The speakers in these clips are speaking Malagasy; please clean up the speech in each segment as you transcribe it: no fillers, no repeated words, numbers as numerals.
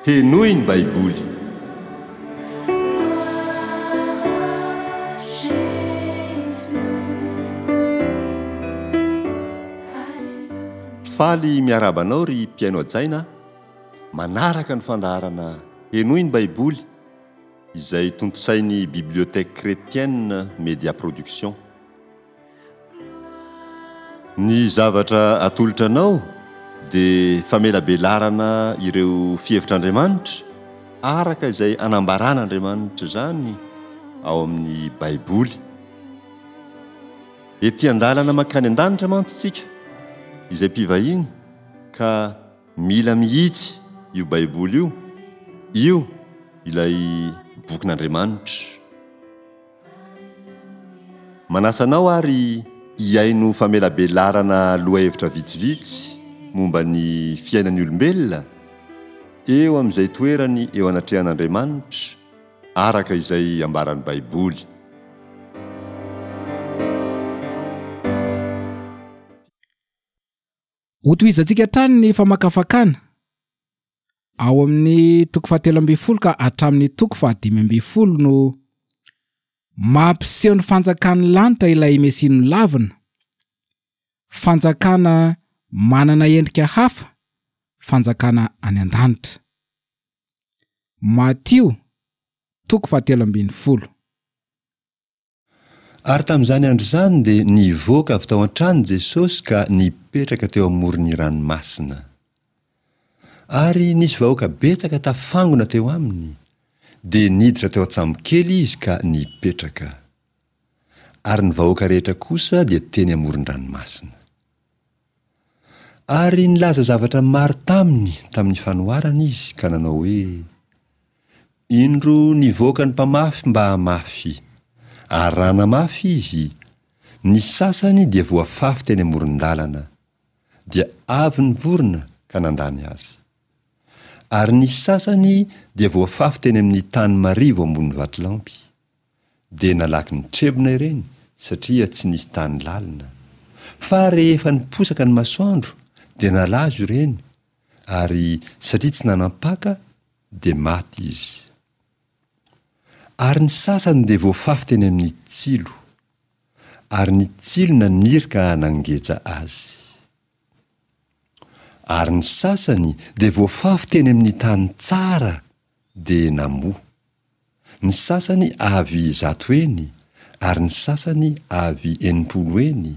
Henoy ny Baiboly. Faly miarahaba anao ry mpihaino hajaina a! Manaraka ny fandaharana Henoy ny Baiboly izay tontosain'ny Bibliothèque Chrétienne Média Production. Ny zavatra atolotra anao dia famelabelarana ireo fihevitr'Andriamanitra araka izay anambaran'Andriamanitra izany ao amin'ny Baiboly. Ety an-dalana mankany an-danitra mantsy isika izay mpivahiny ka mila mihitsy io Baiboly io, io ilay bokin'Andriamanitra. Manasa anao ary hihaino famelabelarana lohahevitra vitsivitsy momba ny fiainan'ny olombelona eo amin'izay toerany eo anatrehan'Andriamanitra araka izay ambaran'ny Baiboly. Hotohizantsika hatrany ny famakafakana ao amin'ny toko fahatelo ambin'ny folo ka hatramin'ny toko fahadimy ambin'ny folo no mampiseho ny fanjakan'ny lanitra ilay Mesia nolavina, fanjakana manana endrika hafa, fanjakana any an-danitra. Matio toko fahatelo ambin'ny folo. Ary tamin'izany andro izany dia nivoaka avy tao an-trano Jesosy ka nipetraka teo amoron'ny ranomasina. Ary nisy vahoaka betsaka tafangona teo aminy, dia niditra teo an-tsambokely izy ka nipetraka. Ary ny vahoaka rehetra kosa dia teny amoron-dranomasina. Ary nilaza zavatra maro taminy tamin'ny fanoharana izy ka nanao hoe, Indro nivoaka ny mpamafy mba hamafy, ary raha namafy izy, ny sasany dia voafafy teny amoron-dalana, dia avy ny vorona ka nandany azy. Ary ny sasany dia voafafy teny amin'ny tany marivo ambony vatolampy, dia nalaky nitrebona ireny satria tsy nisy tany lalina. Fa rehefa niposaka ny masoandro dia nalazo ireny, ary satria tsy nanam-paka dia maty izy. Ary ny sasany dia voafafy teny amin'ny tsilo, ary ny tsilo naniry ka nangeja azy. Ary ny sasany dia voafafy teny amin'ny tany tsara dia namoa. Ny sasany avy zato heny, ary ny sasany avy 60 heny,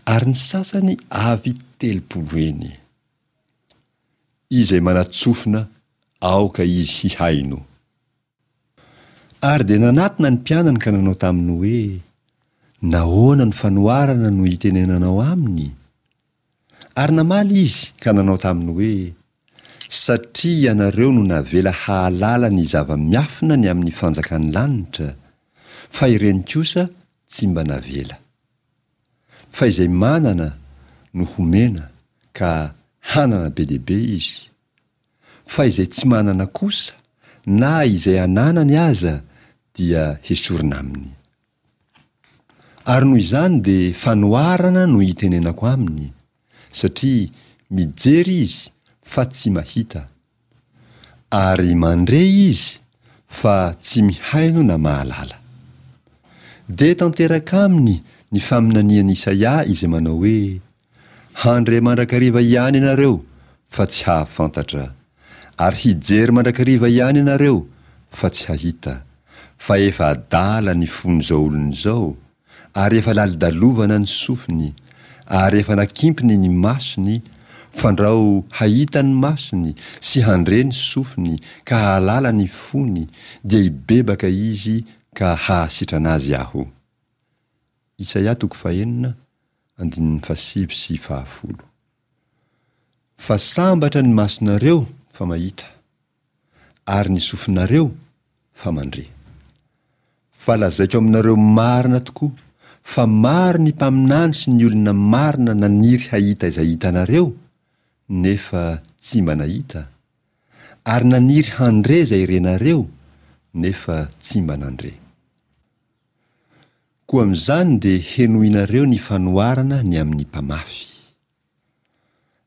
ary ny sasany avy 30 heny. Izay manan-tsofina aoka izy hihaino. Ary dia nanatona ny mpianany ka nanao taminy hoe, Nahoana no fanoharana no itenenanao aminy? Ary namaly izy ka nanao taminy hoe, Satria ianareo no navela hahalala ny zava-miafina ny amin'ny fanjakan'ny lanitra, fa ireny kosa tsy mba navela. Fa izay manana no homena ka hanana be dia be izy, fa izay tsy manana kosa na izay ananany aza dia hesorina aminy. Ary noho izany dia fanoharana no itenenako aminy, satria mijery izy fa tsy mahita, Ary mandre izy fa tsy mihaino na mahalala. Dia tanteraka aminy ny faminanian'i Isaia izay manao hoe, Handre mandrakariva ihany ianareo fa tsy hahafantatra, ary hijery mandrakariva ihany ianareo fa tsy hahita, fa efa adala ny fon'izao olona izao, ary efa lalodalovana ny sofiny, ary efa nakimpiny ny masony, fandrao hahita ny masony sy handre ny sofiny ka hahalala ny fony, dia hibebaka izy ka hahasitrana azy Aho. Isaia toko fahenina, andininy fahasivy sy fahafolo. Fa sambatra ny masonareo fa mahita. ary ny sofinareo fa mandre. Fa lazaiko aminareo marina tokoa fa maro ny mpaminany sy ny olona marina naniry hahita izay hitanareo nefa tsy mba nahita, ary naniry handre izay renareo nefa tsy mba nandre. Koa amin'izany dia henoinareo ny fanoharana ny amin'ny mpamafy.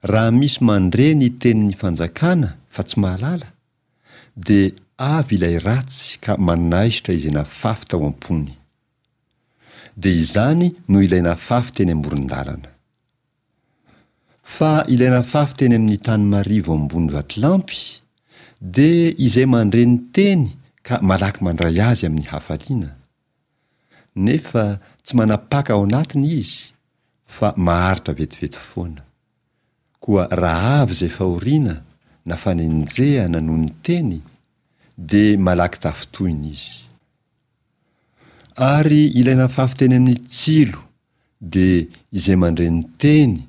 Raha misy mandre ny tenin'ny fanjakana fa tsy mahalala, dia avy ilay ratsy ka manaisotra izay nafafy tao am-pony. Dia izany no ilay nafafy teny amoron-dalana. Fa ilay nafafy teny amin'ny tany marivo ambony vatolampy dia izay mandre ny teny ka malaky mandray azy amin'ny hafaliana. Nefa tsy manapaka ao anatiny izy fa maharitra vetivety foana. Koa raha avy izay fahoriana na fanenjehana noho ny teny dia malaky tafintohina izy. Ary ilay nafafy teny amin'ny tsilo dia izay mandre ny teny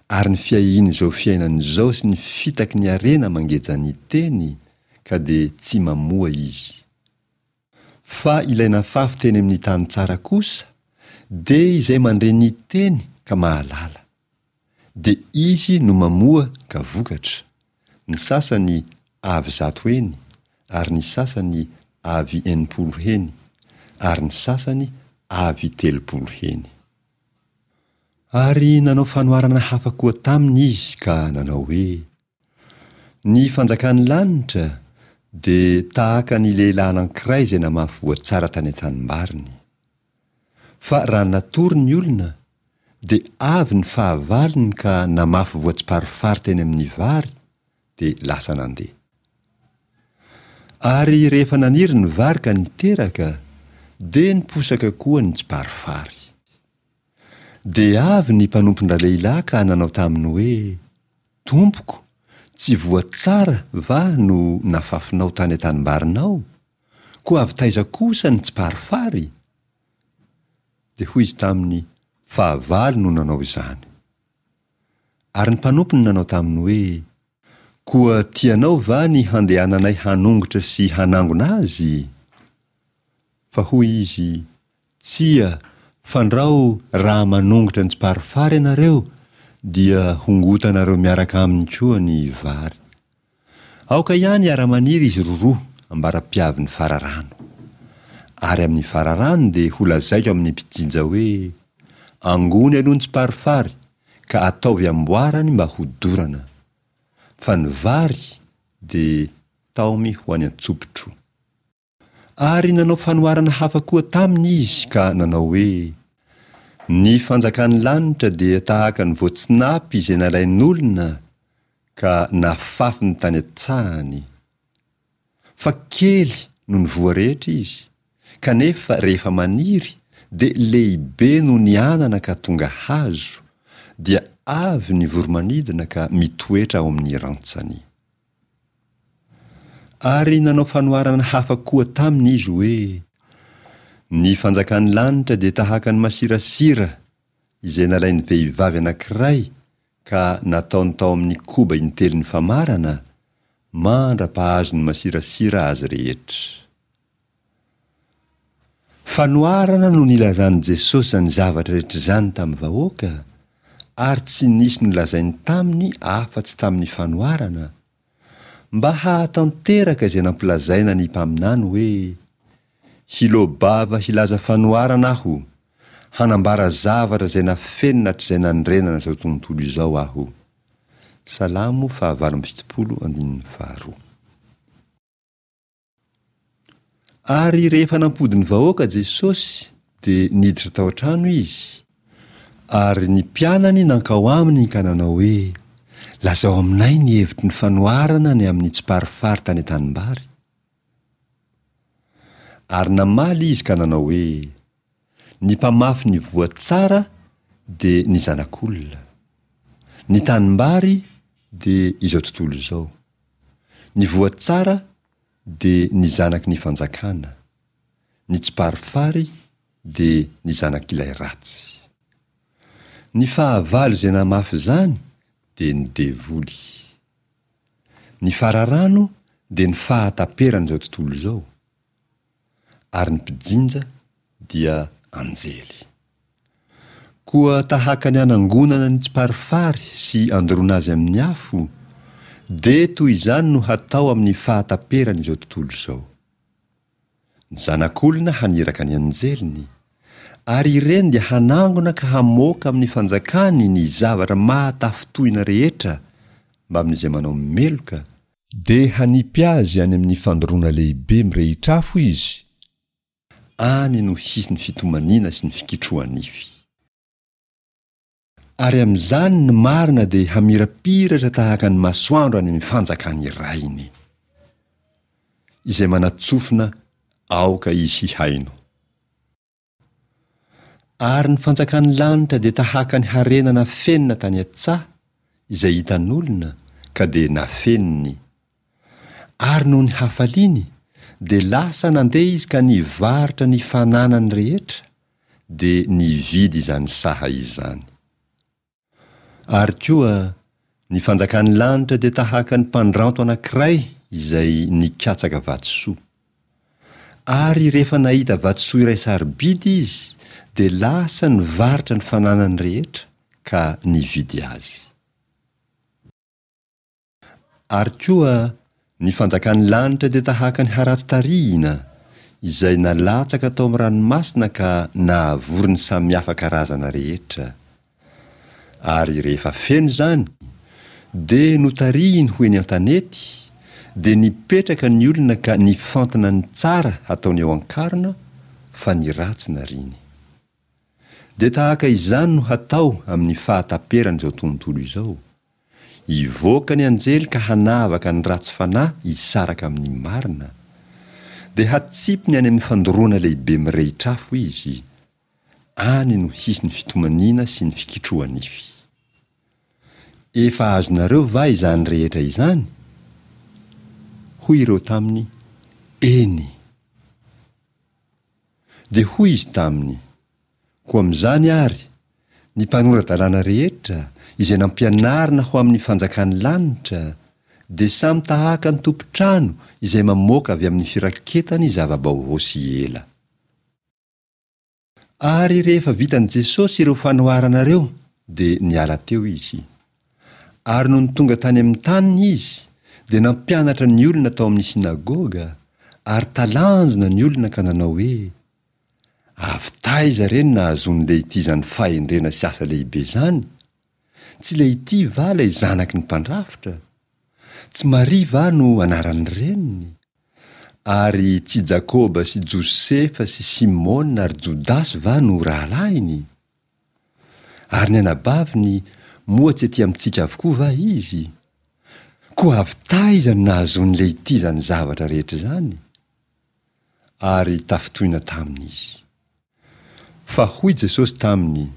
ary ny fiahian'izao fiainana izao sy ny fitaky ny harena mangeja ny teny ka dia tsy mamoa izy. Fa ilay nafafy teny amin'ny tany tsara kosa dia izay mandre ny teny ka mahalala. Dia izy no mamoa ka vokatra, ny sasany avy zato heny, ary ny sasany avy 60 heny, ary ny sasany avy 30 heny. Ary nanao fanoharana hafa koa taminy izy ka nanao hoe, Ny fanjakan'ny lanitra dia tahaka ny lehilahy anankiray izay namafy voa tsara tany an-tanimbariny. Fa raha natory ny olona, dia avy ny fahavalony ka namafy voa tsiparifary teny amin'ny vary, dia lasa nandeha. Ary rehefa naniry ny vary ka niteraka, dia niposaka koa ny tsiparifary. Dia avy ny mpanompon-dralehilahy ka nanao taminy hoe, Tompoko, tsy voa tsara va no nafafinao tany an-tanimbarinao? Koa avy taiza kosa ny tsiparifary? Dia hoy izy taminy, Fahavalo no nanao izany. Ary ny mpanompony nanao taminy hoe, Koa tianao va ny handehananay hanongotra sy hanangona azy? Fa hoy izy, Tsia, fandrao raha manongotra ny tsiparifary ianareo, dia hongotanareo miaraka aminy koa ny vary. Aoka ihany hiara-maniry izy roroa ambara-piavin'ny fararano. Ary amin'ny fararano dia holazaiko amin'ny mpijinja hoe, Angony aloha ny tsiparifary, ka ataovy amboarany mba hodorana. Fa ny vary dia taomy ho any an-tsopitro. Ary nanao fanoharana hafa koa taminy izy ka nanao hoe, Ny fanjakan'ny lanitra dia tahaka ny voatsinapy izay nalain'olona ka nafafiny tany an-tsahany. Fa kely noho ny voa rehetra izy, kanefa rehefa maniry dia lehibe noho ny anana ka tonga hazo, dia avy ny voro-manidina ka mitoetra ao amin'ny rantsany. Ary nanao fanoharana hafa koa taminy izy hoe, Ny fanjakan'ny lanitra dia tahaka ny masirasira izay nalain'ny vehivavy anankiray ka nataony tao amin'ny koba intelon'ny famarana, mandra-pahazon'ny masirasira azy rehetra. Fanoharana no nilazan'i Jesosy izany zavatra rehetra izany tamin'ny vahoaka, ary tsy nisy nolazainy taminy afa-tsy tamin'ny fanoharana, mba hahatanteraka izay nampilazaina ny mpaminany hoe, Hiloa-bava hilaza fanoharana aho, hanambara zavatra izay nafenina hatrizay nanorenana izao tontolo izao aho. Salamo faha-78 andininy faharoa. Ary rehefa nampody ny vahoaka Jesosy, dia niditra tao an-trano Izy, ary ny mpianany nankao aminy ka nanao hoe, Lazao aminay ny hevitry ny fanoharana ny amin'ny tsiparifary tany an-tanimbary. Ary namaly Izy ka nanao hoe, Ny mpamafy ny voa tsara dia ny Zanak'olona. Ny tanimbary dia izao tontolo izao. Ny voa tsara dia ny zanaky ny fanjakana, ny tsiparifary dia ny zanak'ilay ratsy. Ny fahavalo izay namafy izany dia ny devoly. Ny fararano dia ny fahataperan'izao tontolo izao, ary ny mpijinja dia anjely. Koa tahaka ny anangonana ny tsiparifary sy andoroana azy amin'ny afo, dia toy izany no hatao amin'ny fahataperan'izao tontolo izao. Ny Zanak'olona haniraka ny anjeliny, ary ireny dia hanangona ka hamoaka amin'ny fanjakany ny zavatra mahatafintohina rehetra mbamin'izay manao meloka. Dia hanipy azy any amin'ny fandoroana lehibe mirehitr'afo izy, any no hisy ny fitomaniana sy ny fikitroha-nify. Ary amin'izany ny marina dia hamirapiratra tahaka ny masoandro any amin'ny fanjakan'ny Rainy. Izay manan-tsofina aoka izy hihaino. Ary ny fanjakan'ny lanitra dia tahaka ny harena nafenina tany an-tsaha, izay hitan'olona, ka dia nafeniny. Ary noho ny hafaliany, dia lasa nandeha izy ka nivarotra ny fananany rehetra, dia nividy izany saha izany. Ary koa, ny fanjakan'ny lanitra dia tahaka ny mpandranto anankiray izay nikatsaka vatosoa. Ary rehefa nahita vatosoa iray sarobidy izy, dia lasa nivarotra ny fananany rehetra ka nividy azy. Ary koa, ny fanjakan'ny lanitra dia tahaka ny harato tarihina, izay nalatsaka tao amin'ny ranomasina ka nahavory ny samihafa karazana rehetra. Ary rehefa feno izany, dia notarihiny ho eny an-tanety, dia nipetraka ny olona ka nifantina ny tsara hataony eo an-karona, fa ny ratsy nariany. Dia tahaka izany no hatao amin'ny fahataperan'izao tontolo izao. Hivoaka ny anjely ka hanavaka ny ratsy fanahy hisaraka amin'ny marina. Dia hatsipiny any amin'ny fandoroana lehibe mirehitr'afo izy. Any no hisy ny fitomaniana sy ny fikitroha-nify. Efa azonareo va izany rehetra izany? Hoy ireo taminy, Eny. Dia hoy izy taminy, Koa amin'izany àry, ny mpanora-dalàna rehetra izay nampianarina ho amin'ny fanjakan'ny lanitra dia samy tahaka ny tompon-trano izay mamoaka avy amin'ny firaketany zava-baovao sy ela. Ary rehefa vitan'i Jesosy ireo fanoharana ireo dia niala teo izy. Ary nony tonga tany amin'ny taniny izy dia nampianatra ny olona tao amin'ny synagoga, ary talanjona ny olona ka nanao hoe, Avy taiza re no nahazoan'i Lehity izany fahendrena sy asa lehibe izany? Tsy Lehity va ilay zanaky ny mpandrafitra? Tsy Maria va no anaran'ny reniny? Ary tsy Jakoba sy Josefa sy Simona ary Jodasy va no rahalahiny? Ary ny anabaviny, moa tsy ety amintsika avokoa va izy? Koa avy taiza no nahazoan'i Lehity izany zavatra rehetra izany? Ary tafintohina taminy izy. Fa hoy Jesosy taminy,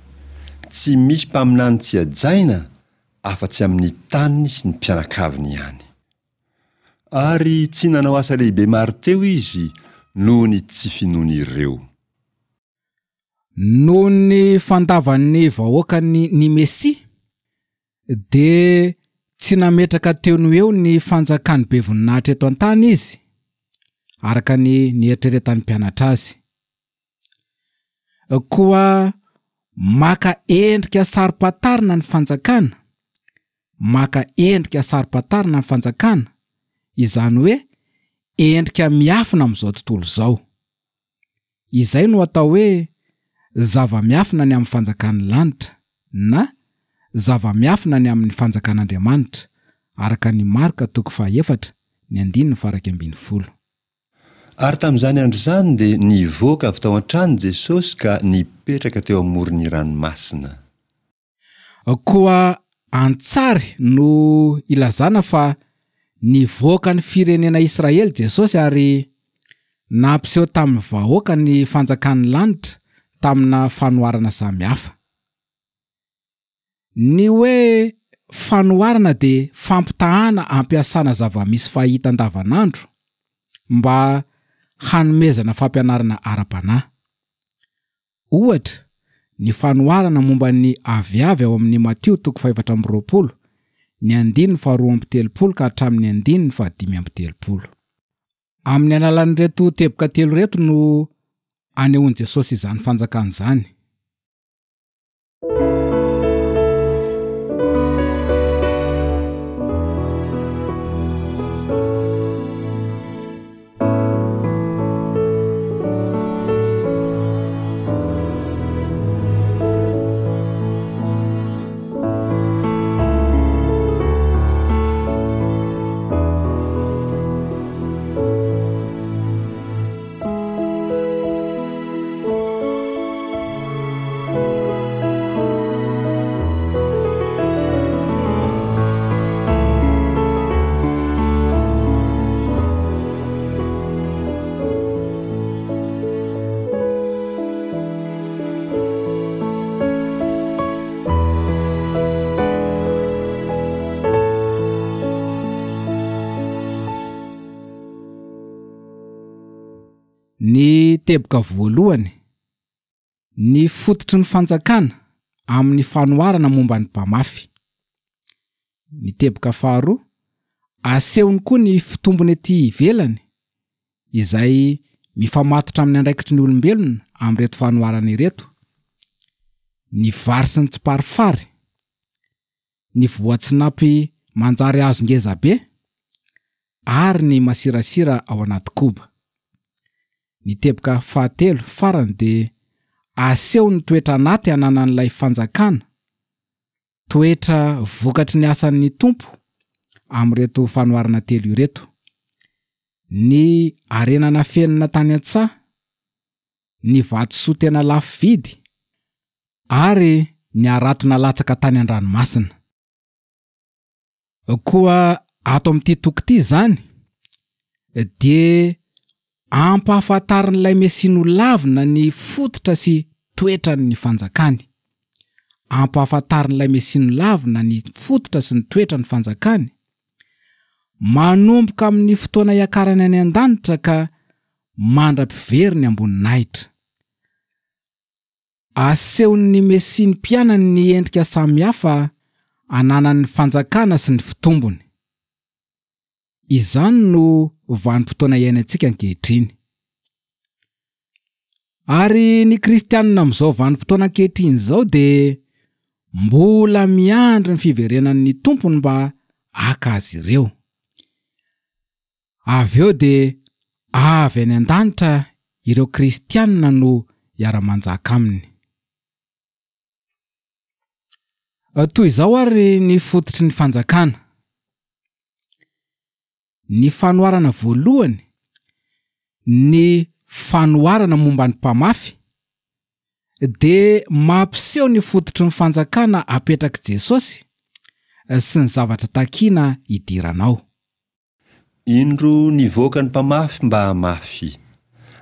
Tsy misy mpaminany tsy hajaina afa-tsy amin'ny taniny sy ny mpianakaviny ihany. Ary tsy nanao asa lehibe maro teo izy noho ny tsy finoan'ireo. Noho ny fandavan'ny vahoakany ny Mesia, dia tsy nametraka teo no eo ny fanjakany be voninahitra eto an-tany izy, araka ny nieritreretan'ny mpianatra azy. Koa maka endrika saro-pantarina ny fanjakana, maka endrika saro-pantarina ny fanjakana, izany hoe endrika miafina amin'izao tontolo izao. Izay no atao hoe zava-miafina ny amin'ny fanjakan'ny lanitra na zava-miafina ny amin'ny fanjakan'Andriamanitra, araka ny Marka toko fahaefatra, ny andininy faha-iraika 11. Ary tamin'izany andro izany dia nivoaka avy tao an-trano Jesosy ka nipetraka teo amoron'ny ranomasina. Koa an-tsary no ilazana fa nivoaka ny firenena Israely Jesosy ary nampiseho tamin'ny vahoaka ny fanjakan'ny lanitra tamina fanoharana samihafa. Ny hoe fanoharana dia fampitahana ampiasana zava-misy fahita andavanandro mba hanomezana fampianarana ara-panahy. Ohatra, ny fanoharana momba ny aviavy ao amin'ny Matio toko fahefatra 24, ny andininy faharoa amby telopolo ka hatramin'ny andininy fahadimy amby telopolo. Amin'ny alalan'ireto teboka telo ireto no anehoan'i Jesosy izany fanjakana izany. Ny teboka voalohany, ny fototry ny fanjakana amin'ny fanoharana momba ny mpamafy. Ny teboka faharoa, asehony koa ny fitombony ety ivelany izay mifamatotra amin'ny andraikitry ny olombelona amin'ireto fanoharana ireto, ny vary sy ny tsiparifary, ny voatsinapy manjary hazo ngeza be, ary ny masirasira ao anaty koba. Ny teboka fahatelo farany dia aseho ny toetra anaty ananan'ilay fanjakana, toetra vokatry ny asan'ny Tompo amin'ireto fanoharana telo ireto, ny harena nafenina tany an-tsaha, ny vatosoa tena lafo vidy, ary ny harato nalatsaka tany an-dranomasina. Koa ato amin'ity toko ity izany dia ampahafantarin'ilay Mesia nolavina ny fototra sy toetran'ny fanjakany. Ampahafantarin'ilay Mesia nolavina ny fototra sy ny toetran'ny fanjakany, manomboka amin'ny fotoana hiakarany any an-danitra ka mandra-piveriny am-boninahitra. Asehon'ny Mesia ny mpianany ny endrika samihafa ananan'ny fanjakana sy ny fitombony. Izany no vanim-potoana iainantsika ankehitriny. Ary ny kristianina amin'izao vanim-potoana ankehitriny izao dia mbola miandry ny fiverenan'ny Tompony mba haka azy ireo. Avy eo dia avy any an-danitra ireo kristianina no hiara-manjaka aminy. Toy izao àry ny fototry ny fanjakana. Ny fanoharana voalohany, ny fanoharana momba ny mpamafy, dia mampiseho ny fototry ny fanjakana apetrak'i Jesosy sy ny zavatra takina hidirana ao. Indro nivoaka ny mpamafy mba hamafy,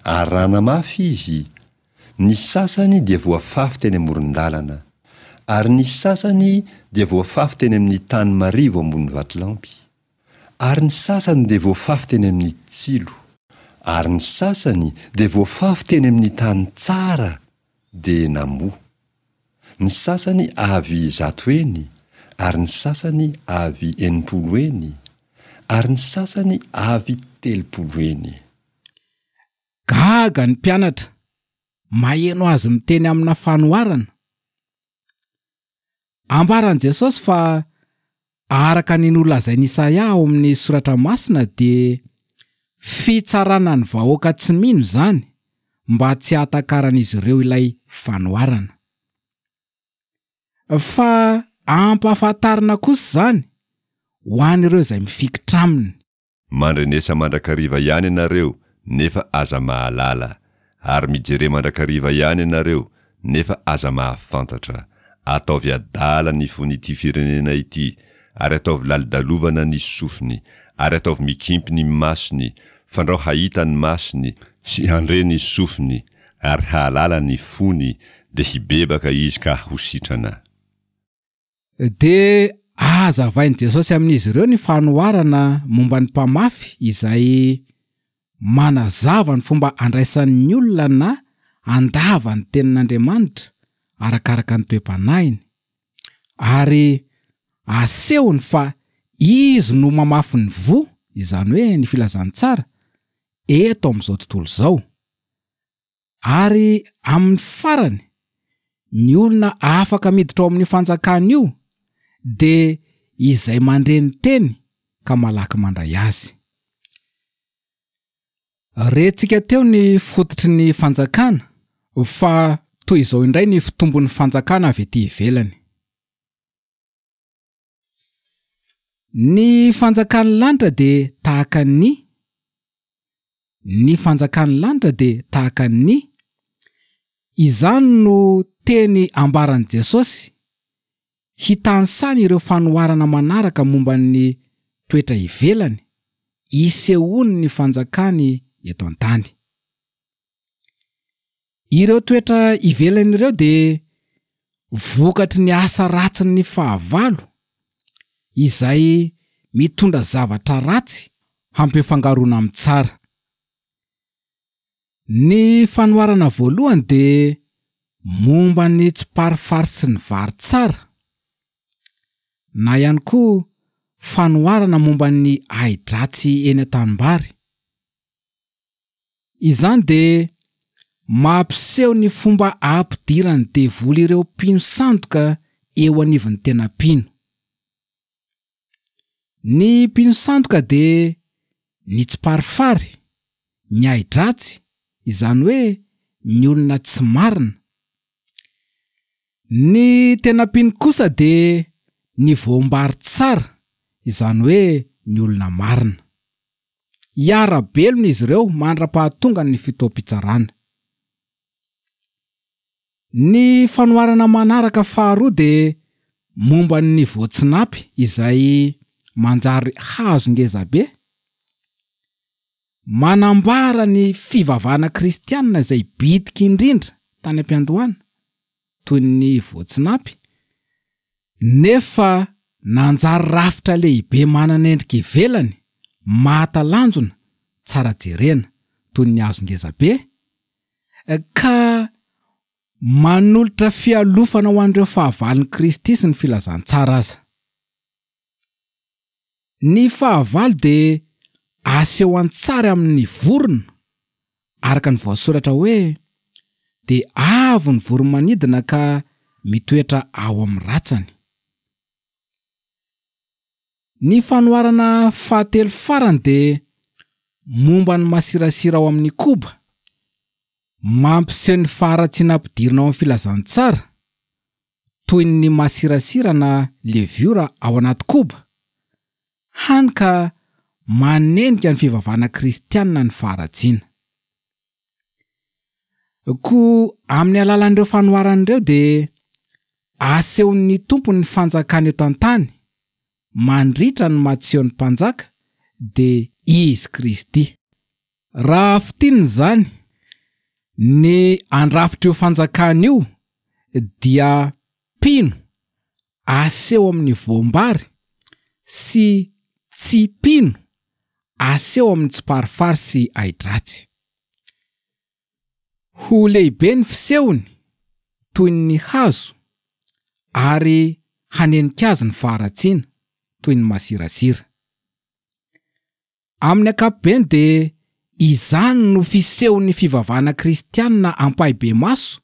ary raha namafy izy, ny sasany dia voafafy teny amoron-dalana, ary ny sasany dia voafafy teny amin'ny tany marivo ambony vatolampy, ary ny sasany dia voafafy teny amin'ny tsilo, ary ny sasany dia voafafy teny amin'ny tany tsara dia namoa. Ny sasany avy zato heny, ary ny sasany avy 60 heny, ary ny sasany avy 30 heny. Gaga ny mpianatra maheno azy miteny amina fanoharana. Ambaran'i Jesosy fa araka ny nolazain'i Isaia ao amin'ny Soratra Masina dia fitsarana ny vahoaka tsy mino izany mba tsy hahatakaran'izy ireo ilay fanoharana. Fa ampahafantarina kosa izany ho an'ireo izay mifikitra aminy. Mandrenesa mandrakariva ihany ianareo, nefa aza mahalala, ary mijere mandrakariva ihany ianareo, nefa aza mahafantatra. Ataovy adala ny fon'ity firenena ity, ary ataovy lalodalovana ny sofiny, ary ataovy mikimpy ny masony, fandrao hahita ny masony, sy handre ny sofiny, ary hahalala ny fony, dia hibebaka izy ka ho sitrana. Dia hazavain'i Jesosy amin'izy ireo ny fanoharana momba ny mpamafy izay manazava ny fomba andraisan'ny olona na handava ny tenin'Andriamanitra arakaraka ny toe-panahiny, ary asehony fa izy no mamafy ny voa, izany hoe ny filazantsara, eto amin'izao tontolo izao. Ary amin'ny farany, ny olona afaka miditra ao amin'io fanjakana io dia izay mandre ny teny ka malaky mandray azy. Rentsika teo ny fototry ny fanjakana fa toy izao indray ny fitombon'ny fanjakana avy ety ivelany. Ny fanjakan'ny lanitra dia tahaka ny Ny fanjakan'ny lanitra dia tahaka ny Izany no teny ambaran'i Jesosy hitanisany ireo fanoharana manaraka momba ny toetra ivelany isehoan'ny fanjakany eto an-tany. Ireo toetra ivelany ireo dia vokatry ny asa ratsin'ny fahavalo izay mitondra zavatra ratsy hampifangaroana amin'ny tsara. Ny fanoharana voalohany dia momba ny tsiparifary sy ny vary tsara, na ihany koa fanoharana momba ny ahi-dratsy eny an-tanimbary. Izany dia mampiseho ny fomba ampidiran'ny devoly ireo mpino sandoka eo anivon'ny tena mpino. Ny mpino sandoka dia ny tsiparifary, ny ahi-dratsy, izany hoe ny olona tsy marina. Ny tena mpino kosa dia ny voambary tsara, izany hoe ny olona marina. Hiara-belona izy ireo mandra-pahatongan'ny fotoam-pitsarana. Ny fanoharana manaraka faharoa dia momba ny voatsinapy izay manjary hazo ngezabe. Manambara ny fivavahana kristianina izay bitika indrindra tany am-piandohana, toy ny voatsinapy, nefa nanjary rafitra lehibe manana endrika ivelany mahatalanjona tsara jerena, toy ny hazo ngezabe, ka manolotra fialofana ho an'ireo fahavalon'i Kristy sy ny filazantsara aza. Ny fahavalo dia aseho an-tsary amin'ny vorona, araka ny voasoratra hoe, Dia avo ny voro-manidina ka mitoetra ao amin'ny ratsany. Ny fanoharana fahatelo farany dia momba ny masirasira ao amin'ny koba, mampiseho ny faharatsiana ampidirina ao amin'ny filazantsara, toy ny masirasira na leviora ao anaty koba, hany ka manenika ny fivavahana kristianina ny faharatsiana. Koa amin'ny alalan'ireo fanoharana ireo dia asehon'ny Tompo ny fanjakany eto an-tany mandritra ny maha-Tsiôny Mpanjaka dia Izy Kristy. Raha fintinina izany, ny andrafitr'io fanjakana io dia mpino aseho amin'ny voam-bary sy tsy mpino aseho amin'ny tsiparifary sy ahi-dratsy. Ho lehibe ny fisehony toy ny hazo ary hanenika azy ny faharatsiana toy ny masirasira. Amin'ny ankapobeny dia izany no fisehon'ny fivavahana kristianina ampahibemaso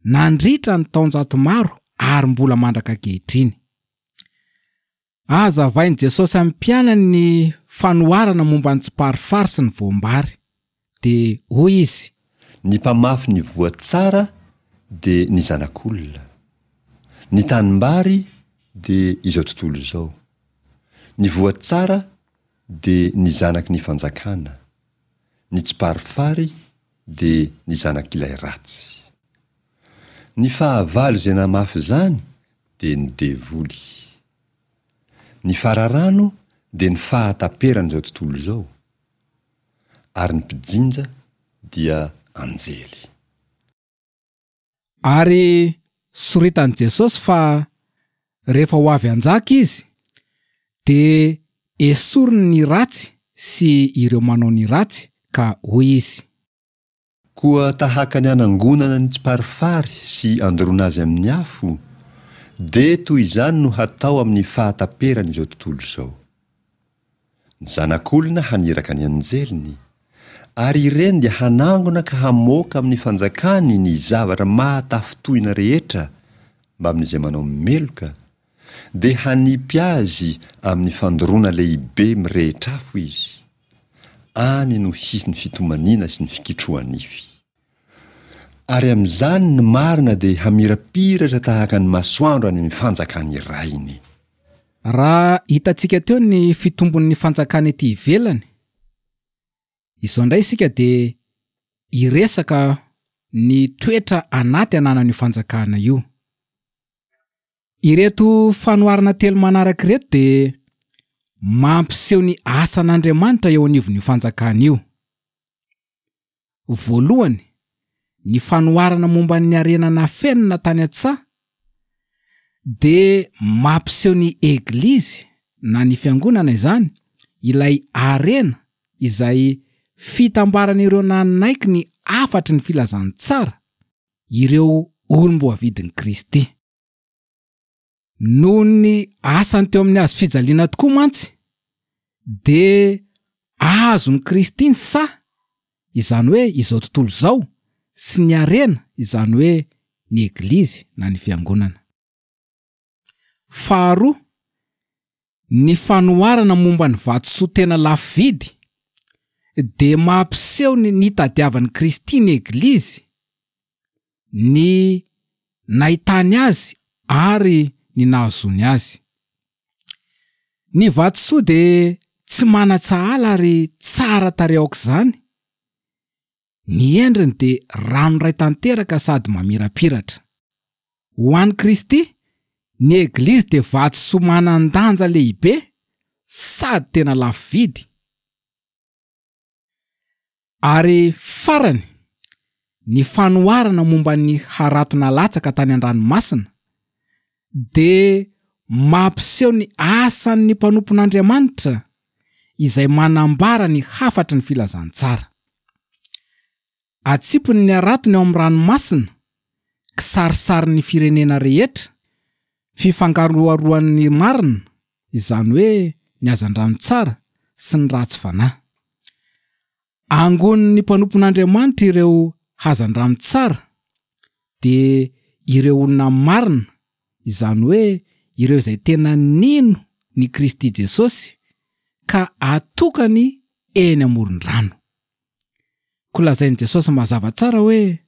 nandritra ny taonjato maro ary mbola mandraka ankehitriny. Hazavain'i Jesosy amin'ny mpianany ny fanoharana momba ny tsiparifary sy ny voam-bary. Dia hoy izy. Ny mpamafy ny voa tsara dia ny Zanak'olona. Ny tanimbary dia izao tontolo izao. Ny voa tsara dia ny zanaky ny fanjakana. Ny tsiparifary dia ny zanak'ilay ratsy. Ny fahavalo izay namafy izany dia ny devoly. Ny fararano dia ny fahataperan'izao tontolo izao, ary ny mpijinja dia anjely. Ary soritan'i Jesosy fa rehefa ho avy hanjaka Izy, dia esoriny ny ratsy sy ireo manao ny ratsy, ka hoy Izy. Koa tahaka ny anangonana ny tsiparifary sy andoroana azy amin'ny afo, dia toy izany no hatao amin'ny fahataperan'izao tontolo izao. Ny Zanak'olona haniraka ny anjeliny, ary ireny dia hanangona ka hamoaka amin'ny fanjakany ny zavatra mahatafintohina rehetra mbamin'izay manao meloka, dia hanipy azy amin'ny fandoroana lehibe mirehitra afo izy. Any no hisy ny fitomaniana sy ny fikitroha-nify. Ary amin'izany ny marina dia hamirapiratra tahaka ny masoandro any amin'ny fanjakan'ny Rainy. Raha hitantsika teo ny fitombon'ny fanjakana ety ivelany, izao indray isika dia hiresaka ny toetra anaty ananan'io fanjakana io. Ireto fanoharana telo manaraka ireto dia mampiseho ny asan'Andriamanitra eo anivon'io fanjakana io. Voalohany, ny fanoharana momba ny harena nafenina tany an-tsaha dia mampiseho ny Eglizy na ny Fiangonana izany, ilay harena izay. fitambaran'ireo nanaiky ny hafatry ny filazantsara, ireo olom-boavidin'i Kristy. Noho ny asany teo amin'ny hazo fijaliana tokoa mantsy dia azon'i Kristy ny saha, izany hoe izao tontolo izao, sy ny harena, izany hoe ny Eglizy na ny Fiangonana. Faharoa, ny fanoharana momba ny vatosoa tena lafo vidy dia mampiseho ny nitadiavan'i Kristy ny Eglizy, ny nahitany azy ary ny nahazoany azy. Ny vatosoa dia tsy manan-tsahala ary tsara tarehy aok'izany, ny endriny dia ranoray tanteraka sady mamirapiratra. Ho an'i Kristy, ny Eglizy dia vatosoa manan-danja lehibe sady tena lafo vidy. Ary farany, ny fanoharana momba ny harato nalatsaka tany an-dranomasina dia mampiseho ny asan'ny mpanompon'Andriamanitra izay manambara ny hafatry ny filazantsara. Atsipiny ny haratony ao amin'ny ranomasina, kisarisarin'ny firenena rehetra, fifangaroharoan'ny marina, izany hoe ny hazandrano tsara sy ny ratsy fanahy. Angonin'ny mpanompon'Andriamanitra ireo hazandrano tsara, dia ireo olona marina, izany hoe ireo izay tena nino ny Kristy Jesosy ka atokany eny amoron-drano. Koa lazain'i Jesosy mazava tsara hoe.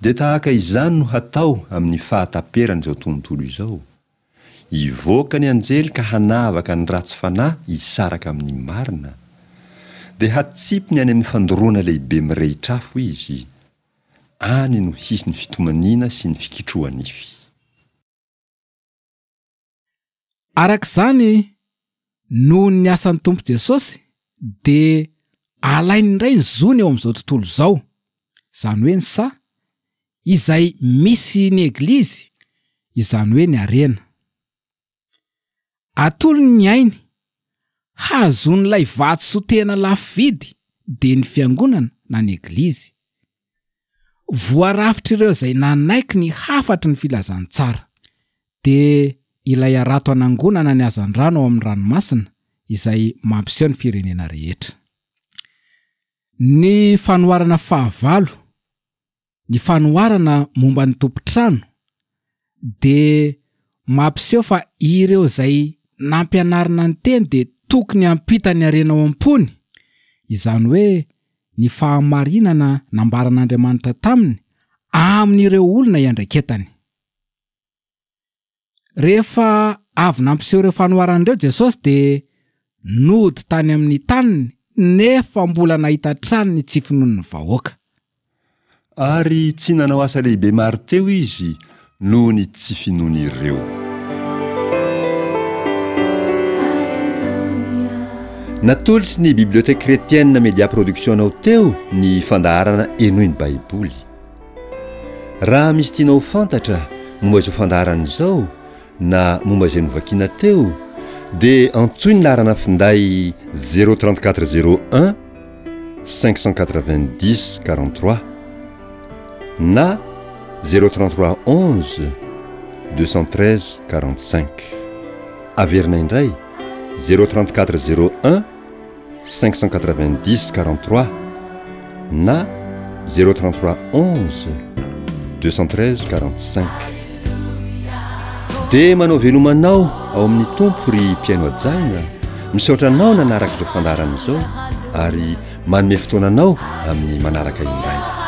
Dia tahaka izany no hatao amin'ny fahataperan'izao tontolo izao. Hivoaka ny anjely ka hanavaka ny ratsy fanahy hisaraka amin'ny marina. Dia hatsipiny any amin'ny fandoroana lehibe mirehitr'afo izy. Any no hisy ny fitomaniana sy ny fikitroha-nify. Araka izany, noho ny asan'ny Tompo Jesosy dia alainy indray ny zony eo amin'izao tontolo izao, izany hoe ny saha, izay misy ny Eglizy, izany hoe ny harena. Atolony ny ainy, hahazoan'ilay vatosoa tena lafo vidy, dia ny Fiangonana na ny Eglizy. Voarafitr'ireo izay nanaiky ny hafatry ny filazantsara, dia ilay harato hanangonana ny hazandrano ao amin'ny ranomasina izay mampiseho ny firenena rehetra. Ny fanoharana fahavalo, ny fanoharana momba ny tompon-trano, dia mampiseho fa ireo izay nampianarina ny teny dia tokony hampita ny harena ao am-pony, izany hoe ny fahamarinana nambaran'Andriamanitra taminy amin'ireo olona iandraiketany. Rehefa avy nampiseho ireo fanoharana ireo Jesosy dia nody tany amin'ny taniny nefa mbola nahita hatrany ny tsy finoan'ny vahoaka. Ary tsy nanao asa lehibe maro teo izy noho ny tsy finoan'ireo. Natolotry ny Bibliothèque Chrétienne Media Production anao teo ny fandaharana Henoy ny Baiboly. Raha misy tianao ho fantatra momba izao fandaharana izao na momba izay novakiana teo dia antsoy ny laharana finday 034 01 590 43 na 033 11 213 45. Averina indray 034 01 590 43 na 033 11 213 45. Dia manao veloma anao ao amin'ny Tompo ry mpihaino hajaina, misaotra anao nanaraka izao fandaharana izao ary manome fotoana anao amin'ny manaraka indray.